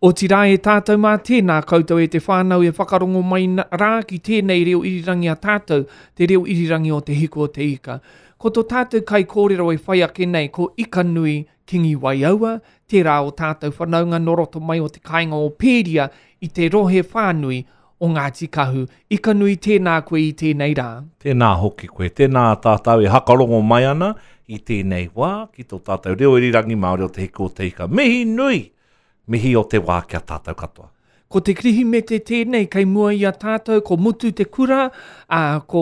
Otirā e tātou mā, tēnā koutou e te whānau e whakarongo mai rā ki tēnei reo irirangi a tātou, te reo irirangi o Te Hiku o Te Ika. Ko tō tātou kaikōrero e whai ake nei ko Ikanui Kingi Waiaua, tērā o tātou whanaunga nō roto mai o te kāinga o Pēria i te rohe whānui o Ngāti Kahu. Ikanui tēnā koe i tēnei rā. Tēnā hoki koe, tēnā tātou e hakarongo mai ana i tēnei wā ki tō tātou reo irirangi Māori o Te Hiku o Te Ika. Mihi nui! Mihi o te wā ki a tātou katoa. Ko te Kirihimete tēnei kei mua i a tātou, ko mutu te kura, ā, ko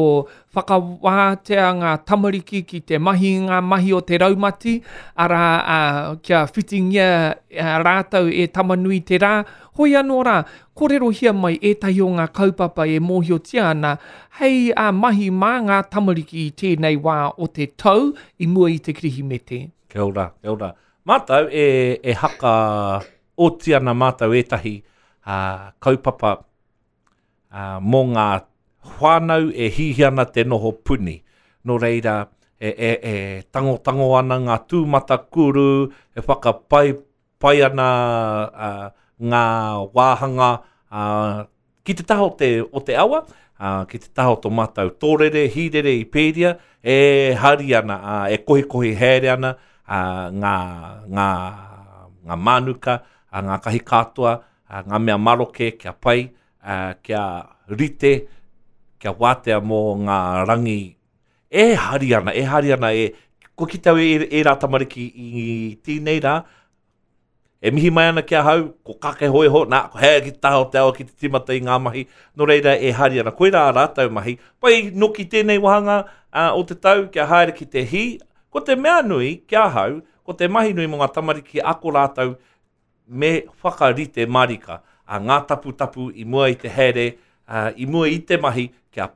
whakawātea ngā tamariki ki te mahi i ngā mahi o te raumati, arā, ā, kia whitingia rātou e Tama-nui-te-rā. Hoi anō rā, kōrerohia mai ētahi o ngā kaupapa e mōhiotia ana hei mahi mā ngā tamariki i tēnei wā o te tau i mua i te Kirihimete. Kia ora, kia ora. Mātou e, e haka oti ana mātou ētahi uh, kaupapa uh, mō ngā whānau e hihi ana te noho puni. Nō reira, e, e, e tangotango ana ngā tūmatakuru, e whakapai pai ana uh, ngā wāhanga uh, Ki te taha o te, o te awa, ā, ki te taha o tō mātou tōrere, hīrere i Pēria, e hari ana, ā, e kohikohi haere ana, ā, ngā, ngā, ngā mānuka, ā, ngā kahi katoa, ā, ngā mea maroke kia pai, ā, kia rite, kia wātea mō ngā rangi e hari ana, e hari ana, e, kua kite au e, ērā tamariki i tēnei rā, E mihi mai ana ki ahau, ko kake hoiho, nā, ko hea ki te taha o te awa ki te timata i ngā mahi, nō reira e hari ana. Koirā ā rātou mahi. Pai noki tēnei wāhanga uh, o te tau kia haere ki te hī. Ko te mea nui ki ahau, ko te mahi nui mō ngā tamariki ako rātou me whakarite marika a ngā taputapu i mua i te haere, uh, i mua i te mahi kia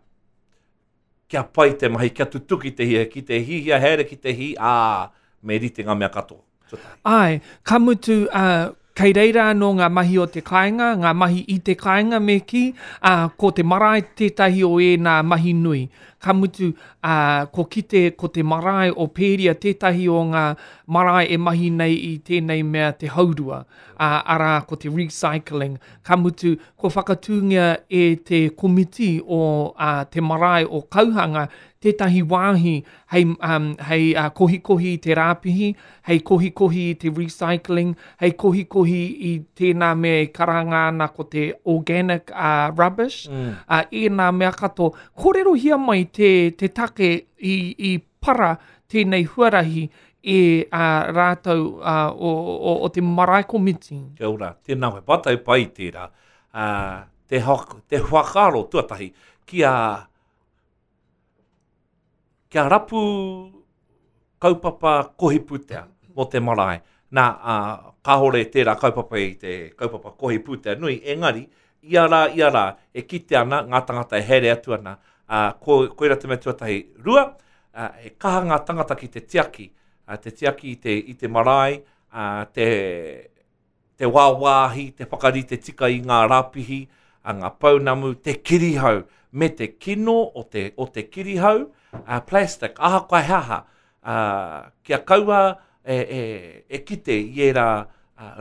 kia pai te mahi, kia tutuki te hia, ki te hihia haere ki te hī, ā, me rite ngā mea katoa. Tuatahi. Āe, ka mutu, ā, kei reira anō ngā mahi o te kāinga, ngā mahi i te kāinga me kī, ā, ko te marae tētahi o ēnā mahi nui. Ka mutu, ā, ko kite ko te marae o Pēria tētahi o ngā marae e mahi nei i tēnei mea te haurua, ā, arā, ko te recycling. Ka mutu, kua whakatūngia e te komiti o uh, te marae o Kauhanga tētahi wāhi hei, um, hei uh, kohikohi i te rāpihi, hei kohikohi i te recycling, hei kohikohi i tēnā mea e karanga ana ko te organic uh, rubbish, mm. uh, ēnā mea katoa. Kōrerohia mai te, te take i, i para tēnei huarahi e a rātou a, o, o, o te marae komiti. Kia ora, tēnā koe, pātai pai tērā. Uh, te, te whakaaro tuatahi kia, kia rapu kaupapa kohi pūtea mō te marae. Nā, uh, kāore tērā kaupapa i te kaupapa kohi pūtea nui, engari, ia rā, ia rā, e kite ana ngā tangata e haere atu ana, ā, ko, koira te mea tuatahi. Rua, ā, he kaha ngā tangata ki te tiaki, ā, te tiaki i te, i te marae, ā, te, te wāwāhi, te whakarite tika i ngā rāpihi, ā, ngā pounamu, te kirihau, me te kino o te, o te kirihau, ā, plastic, ahakoa he aha, ā, kia kaua e, e, e kite i ērā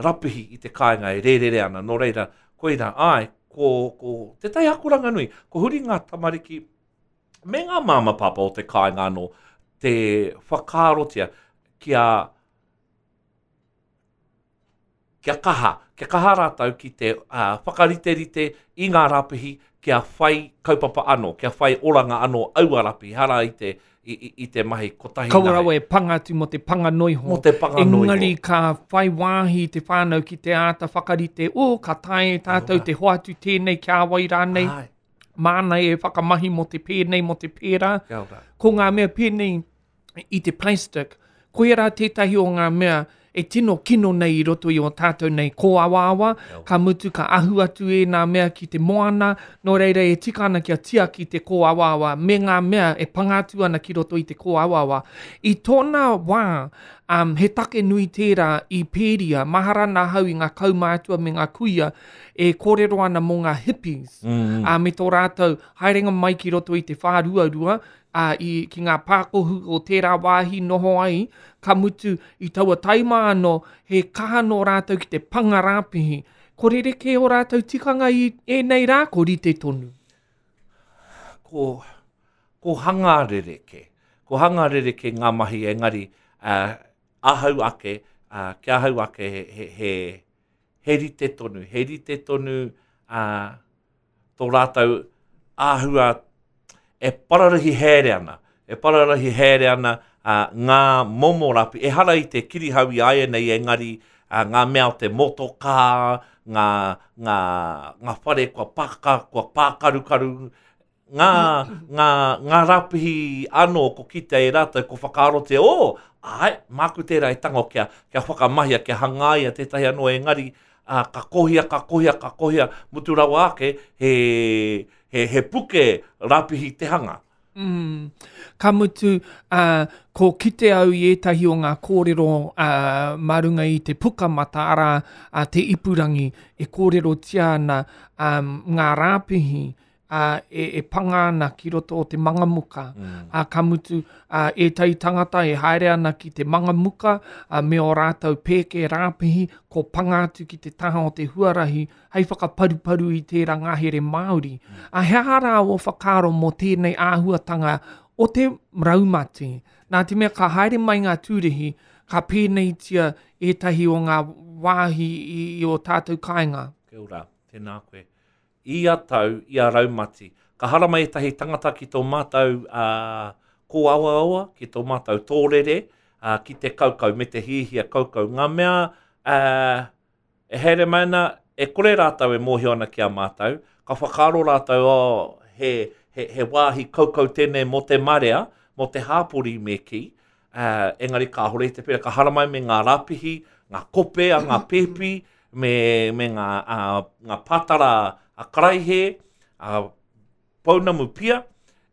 rapihi i te kāinga e rērere ana. Nō reira, koirā, āe, ko, ko tētahi akoranga nui, ko huri ngā tamariki me ngā māma pāpā o te kāinga anō, te whakaarotia kia kia kaha, kia kaha rātou ki te uh, whakariterite i ngā rapihi kia whai kaupapa anō, kia whai oranga anō aua rapihi, hara i te, i, i, i te mahi kotahi Kaua rawa e panga atu mō te panga noiho. Mō te panga noiho. Engari ka whai wāhi te whānau ki te āta whakarite, oh, ka taea e tātou te hoatu tēnei ki a wai rānei. Ai. Māna e whakamahi mō te pēnei, mō te pērā. Kia ora. Ko ngā mea pēnei, i te plastic, koia rā tētahi o ngā mea e tino kino nei i roto i o tātou nei kōawaawa, ka mutu ka ahu atu ēnā mea ki te moana, nō reira e tika ana kia tiaki te kōawaawa me ngā mea e panga atu ana ki roto i te kōawaawa. I tōna wā, um, he take nui tērā i Pēria, mahara ana ahau i ngā kaumātua me ngā kuia e kōrero ana mō ngā hippies, mm. uh, me tō rātou haerenga mai ki roto i te whāruarua, ā, i, ki ngā pākohu o tērā wāhi noho ai, ka mutu, i taua taima anō, he kaha nō rātou ki te panga rāpihi. Ko rerekē ō rātou tikanga i ēnei rā, ko rite tonu. Ko, ko hanga rerekē. Ko hanga rerekē ngā mahi engari uh, ahau ake, uh, ki ahau ake he, he, he, he rite tonu, he rite tonu uh, tō rātou āhua e pararahi haere ana, e pararahi haere ana uh, ngā momo rapi. Ehara i te kirihau i āianei engari uh, ngā mea o te motokā, ngā, ngā, ngā whare kua paka, kua pākarukaru, ngā, ngā, ngā rapihi anō ko kitea e rātou, ko whakaarotia, oh, āe, māku tērā e tango kia, kia whakamahia, kia hangaia tētahi anō engari, ā, ka kohia, ka kohia, ka kohia, mutu rawa ake, he, he, he puke rapihi te hanga. Mm. Ka mutu, uh, ko kite au i ētahi o ngā kōrero uh, mā runga i te pukamata, arā, uh, te ipurangi, e kōrerotia ana um, ngā rāpihi, ā, e, e panga ana ki roto o te mangamuka. Mm. Ā, ka mutu, ā, ētahi tangata e haere ana ki te mangamuka ā, me ō rātou pēke rāpihi, ko panga atu ki te taha o te huarahi hei whakaparuparu i tērā ngahere Māori. Mm. Ā, he aha rā ō whakaaro mō tēnei āhuatanga o te raumati? Nā te mea ka haere mai ngā tūrihi, ka pēneitia ētahi o ngā wāhi i, i ō tātou kāinga. Kia ora, tēnā koe. Ia tau, ia raumati, ka haramai ētahi tangata ki tō mātou kōawaawa, ki tō mātou tōrere, ki te kaukau me te hiahia kaukau. Ngā mea e haere mai ana, e kore rātou e mōhio ana ki a mātou, ka whakaaro rātou, oh, he, he, he wāhi kaukau tēnei mō te marea, mō te hāpori me kī, engari kāhore i te pērā, ka haramai me ngā rāpihi, ngā kope a ngā pēpi, me, me ngā, uh, ngā pātara a karaihe, a pounamu pia,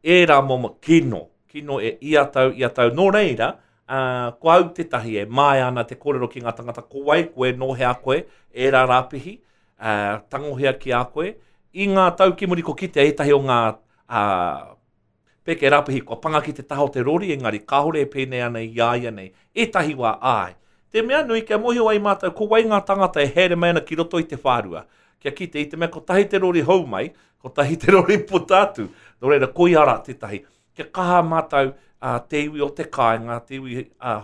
ērā momo kino, kino e ia tau, ia tau. Nō reira, uh, ko au tētahi e māia ana te kōrero ki ngā tangata, ko wai koe, nō hea koe, ērā rāpihi, uh, tangohia ki a koe. I ngā tau ki muri ko kitea ētahi o ngā uh, Peke Rapihi kua panga ki te taha o te rori engari kāore e pēnei ana i a ia nei. Ētahi wā, āe. Te mea nui kia mōhio ai mātou ko wai ngā tāngata e haere mai ana ki roto i te whārua. Kia kite i te mea kotahi te rori hou mai, kotahi te rori puta atu. Nō reira, koia rā tētahi. Kia kaha mātou, ā, te iwi o te kāinga, te iwi, ā,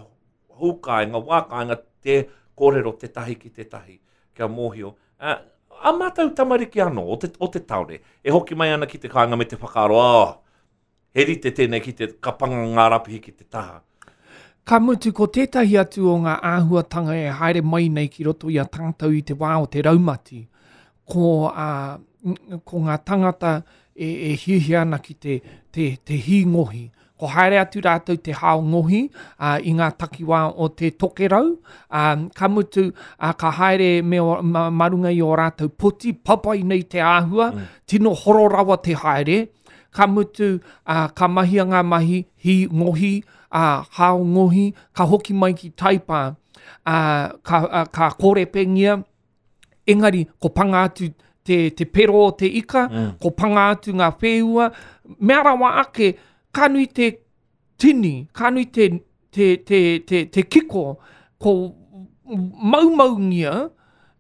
hou kāinga, wā kāinga, te kōrero tētahi ki tētahi. Kia mōhio. Ā, ā mātou tamariki anō o te, o te tāone, e hoki mai ana ki te kāinga me te whakaaro, oh, he rite tēnei ki te, ka panga ngā rapihi ki te taha. Ka mutu, ko tētahi atu o ngā āhuatanga e haere mai nei ki roto i a tātou i te wā o te raumati, ko, ā, ko ngā tangata e, e hiahia ana ki te, te, te hī ngohi. Ko haere atu rātou te hao ngohi ā, i ngā takiwā o te tokerau, ā, ka mutu, ā, ka haere me o, ma, ma runga i ō rātou poti, papai nei te āhua, mm. tino horo rawa te haere, ka mutu, ā, ka mahia ngā mahi, hī ngohi, ā, hao ngohi, ka hoki mai ki Taipā, ā, ka, ā, ka korepengia, Engari, ko panga atu te, te pero o te ika, mm. ko panga atu ngā whēua, mea rawa ake, ka nui te tini, ka nui te, te, te, te, te kiko, ko maumaungia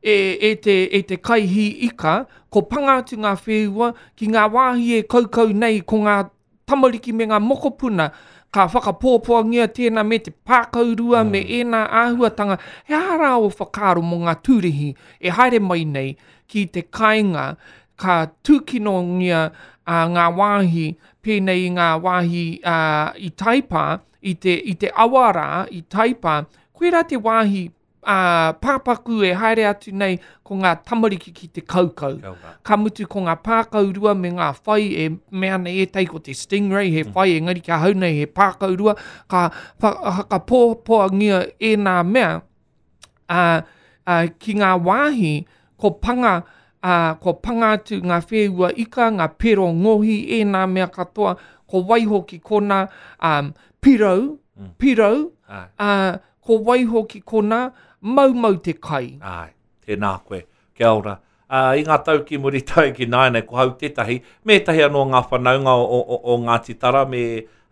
e, e, te, e te kaihī ika, ko panga atu ngā whēua ki ngā wāhi e kaukau nei, ko ngā tamariki me ngā mokopuna, ka whakapōpoangia tēnā me te pākaurua mm. me ēnā āhuatanga. He aha rā o whakaaro mō ngā tūrihi e haere mai nei ki te kāinga ka tūkinongia uh, ngā wāhi pēnei i ngā wāhi uh, i Taipā, i te, i te awa rā i Taipā, koirā te wāhi ā, pāpaku e haere atu nei ko ngā tamariki ki te kaukau. Ka mutu ko ngā pākaurua me ngā whai e mea ana ētahi ko te stingray he mm. whai engari ki ahau nei he pākaurua ka whakapōpoangia ēnā mea ā, ā, ki ngā wāhi ko panga ā, kua panga atu ngā whēua ika, ngā pero ngohi, ēnā mea katoa, ko waiho ki konā, ā, pirau, mm. pirau, ā, ko waiho ki konā, maumau te kai. Āe, tēnā koe, kia ora. Ā, i ngā tau ki muri tae ki nāianei, ko hau tētahi, me ētahi anō ngā whanaunga o, o, o, o Ngāti Tara me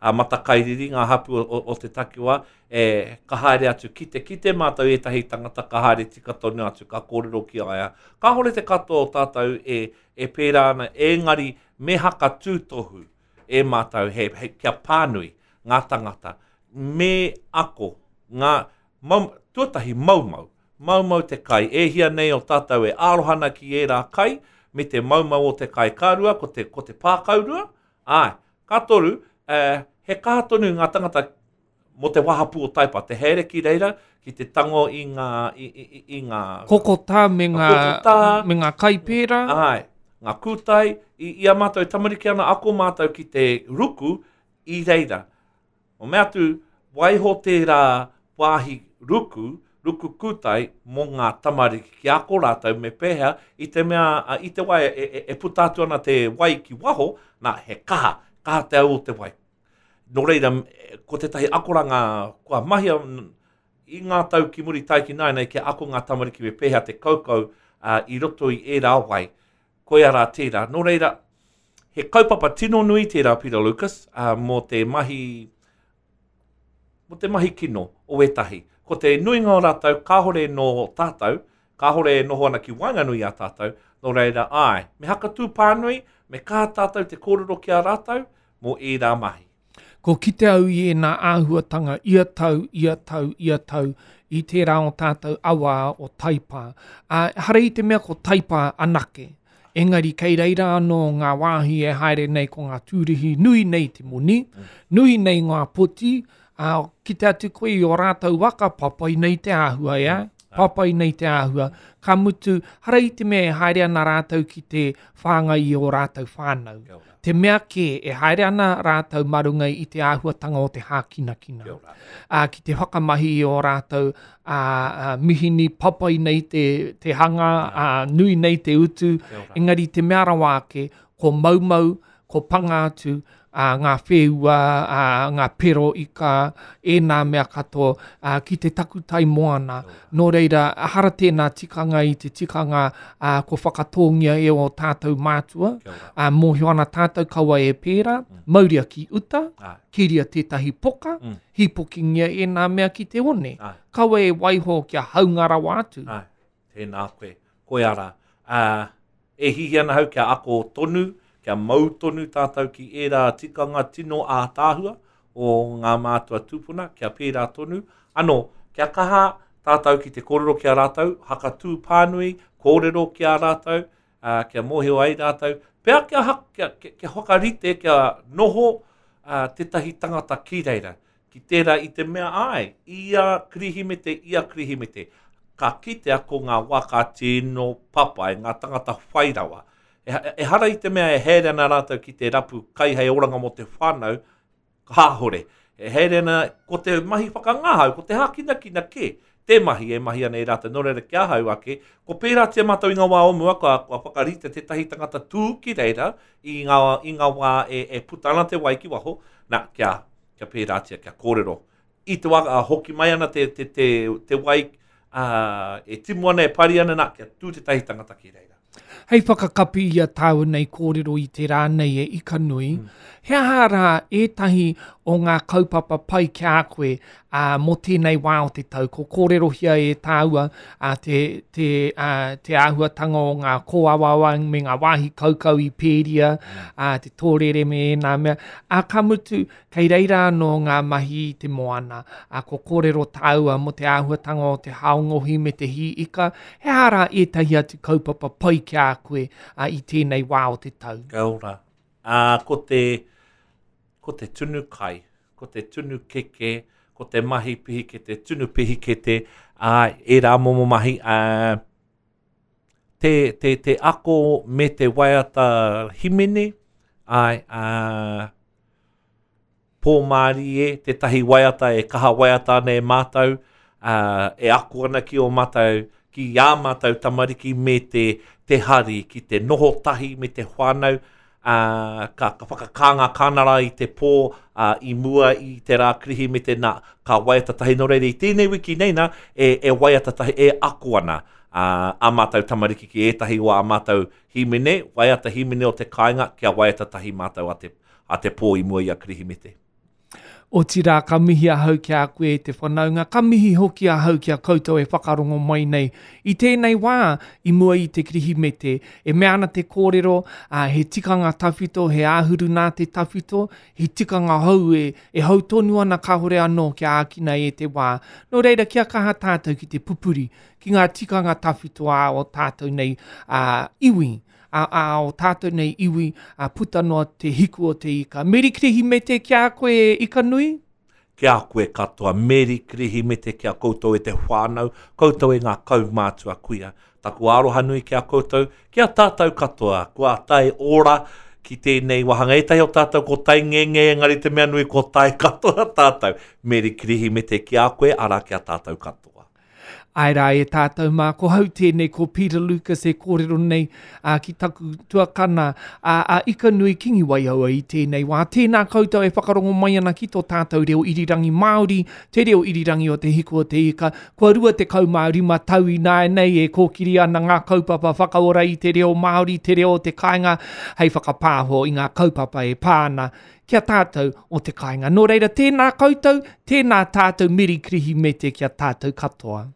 a Matakairiri, ngā hapū o, o, o te takiwā, e, ka haere atu ki te kite mātou ētahi tangata ka haere tika tonu atu, ka kōrero ki a ia. Kāhore te katoa o tātou e, e pērā ana, engari me haka tūtohu e mātou he, he, kia pānui ngā tangata, me ako ngā, mau, tuatahi maumau, maumau te kai, e hia nei o tātou e aroha ana ki ērā kai, me te maumau o te kai. Ka rua, ko te, ko te pākaurua, āe. Ka toru, eh, he kaha tonu ngā tangata mō te wahapū o Taipa, te haere ki reira, ki te tango i ngā, i, i, i, i ngā... Kokotā me ngā, kokotā, me ngā kai pērā. Āe, ngā kūtai, i, i a mātou e tamariki ana, ako mātou ki te ruku i reira. O mea atu, waiho tērā wāhi ruku, ruku kūtai mō ngā tamariki kia ako rātou me pēhea i te mea, i te wā e, e, e puta atu ana te wai ki waho, nā, he kaha, kaha te au o te wai. Nō reira, ko tētahi akoranga kua mahia i ngā tau ki muri tae ki nāianei kia ako ngā tamariki me pēhea te kaukau uh, i roto i ērā wai. Koia rā tērā. Nō reira, he kaupapa tino nui tērā, Peter Lucas, uh, mō te mahi mō te mahi kino o ētahi. Ko te nuinga o rātou kāhore nō tātou, kāhore e noho ana ki waenganui i a tātou, nō reira, āe, me hakatū pānui, me kaha tātou te kōrero ki a rātou mō ērā mahi. Ko kite au i ēnā āhuatanga ia tau, ia tau, ia tau, i tērā o tātou awa o Taipā. Ā, ehara i te mea ko Taipā anake, engari kei reira anō ngā wāhi e haere nei ko ngā tūrihi nui nei te moni, nui nei ngā poti, ā, kite atu koe i ō rātou waka, papai nei te āhua, ea? Papai nei te āhua. Ka mutu, hara i te mea e haere ana rātou ki te whāngai i ō rātou whānau. Te mea kē, e haere ana rātou mā runga i te āhuatanga o te hākinakina. Ā, ki te whakamahi i ō rātou ā, ā, mihini papai nei te, te hanga, ā, nui nei te utu, engari te mea rawa ake, ko maumau, ko panga atu, ā, ngā whēua, ā, ngā pero ika, ēnā mea katoa, ā, ki te takutai moana. Nō reira, ehara tēnā tikanga i te tikanga, ā, kua whakatōngia e ō tātou mātua, ā, mōhio ana tātou kaua e pērā, mm. mauria ki uta, Ai. kiria tētahi poka, mm. hīpokingia ēnā mea ki te one. Ai. Kaua e waiho kia haunga rawa atu. Ai. Tēnā koe, koe ara. Ā, e hihi ana hau kia ako tonu, kia mau tonu tātou ki ērā tikanga tino ātaahua o ngā mātua tūpuna, kia pērā tonu. Anō, kia kaha tātou ki te kōrero ki a rātou, hakatū pānui, kōrero ki a rātou, ā, kia mōhio ai rātou. Pea kia, kia, kia, kia whakarite, kia noho ā, tētahi tangata ki reira, ki tērā i te mea āe, ia Kirihimete, ia Kirihimete, ka kitea ko ngā waka tino papai, ngā tangata whai rawa. Ehara i te mea e haere ana rātou ki te rapu kai hei oranga mō te whānau, kāhore. E haere ana, ko te mahi whakangahau, ko te hākinakina kē, te mahi e mahi ana e rātou. Nō reira, ki ahau ake, ko pērātia mātou i ngā wā o mua, kua, kua whakarite tētahi tangata tū ki reira i ngā, i ngā wā e, e puta ana te wai ki waho, nā, kia, kia pērātia, kia kōrero. I te wā ka hoki mai ana te, te, te, te wai, ā, e timu ana, e pari ana, nā, kia tū tētahi tangata ki reira. Hei whakakapi i a tāua nei kōrero i te rā nei e Ikanui, mm. he aha rā ētahi o ngā kaupapa pai ki a koe ā, mō tēnei wā o te tau? Ko kōrerohia e tāua ā, te, te, ā, te āhuatanga o ngā kōawaawa me ngā wāhi kaukau i Pēria, mm. ā, te tōrere me ēnā mea. Ā, ka mutu, Kei reira anō ngā mahi i te moana, ā, kua kōrero tāua mō te āhuatanga o te hao ngohi me te hī ika, he aha rā ētahi atu kaupapa pai ki a koe ā, i tēnei wā o te tau? Kia ora. Ā, ko te, ko te tunu kai, ko te tunu keke, ko te mahi pihikete, tunu pihikete, ā, ērā momo mahi, ā, te, te, te ako me te waiata himene, āe, ā, Pōmārie, tētahi waiata e kaha waiata ana e mātou, ā, e ako ana ki ō mātou, ki ā mātou tamariki me te, te hari, ki te noho tahi me te whānau, ā, ka, ka whakakā ngā kānara i te pō, ā, i mua i te rā Kirihimete, nā, ka waiata tahi. Nō reira, i tēnei wiki nei nā, e, e waiata tahi, e ako ana, ā, ā mātou tamariki ki ētahi o ā mātou hīmene, waiata hīmene o te kāinga, kia waiata tahi mātou a te, a te pō i mua i a Kirihimete. Otirā, ka mihi ahau ki a koe e te whanaunga, ka mihi hoki ahau ki a koutou e whakarongo mai nei. I tēnei wā, i mua i te Kirihimete, e mea ana te kōrero, ā, he tikanga tawhito, he āhuru nā te tawhito, he tikanga hou e, e hou tonu ana kāore anō kia ākina e te wā. Nō reira, kia kaha tātou ki te pupuri, ki ngā tikanga tawhito ā o tātou nei, ā, iwi. ā, ā o tātou nei iwi, ā, puta noa te hiku o te ika. Meri Kirihimete ki a koe e Ikanui. Ki a koe katoa, Meri Kirihimete ki a koutou e te whānau, koutou e ngā kaumātua kuia. Taku aroha nui ki a koutou, ki a tātou katoa, kua tae ora ki tēnei wāhanga. Ētahi o tātou ko tae ngenge, engari te mea nui ko tae katoa tātou. Meri Kirihimete ki a koe, arā ki a tātou katoa. Āe rā e tātou mā, ko hau tēnei, ko Peter Lucas e kōrero nei ā, ki taku tuakana ā, a Ikanui Kingi Waiaua i tēnei wā. Tēnā koutou e whakarongo mai ana ki tō tātou reo irirangi Māori, te reo irirangi o Te Hiku o Te Ika. Kua 25 tau ināianei e kōkiri ana ngā kaupapa whakaora i te reo Māori, te reo o te kāinga, hei whakapāho i ngā kaupapa e pā ana ki a tātou o te kāinga. Nō reira, tēnā koutou, tēnā tātou, Meri Kirihimete ki a tātou katoa.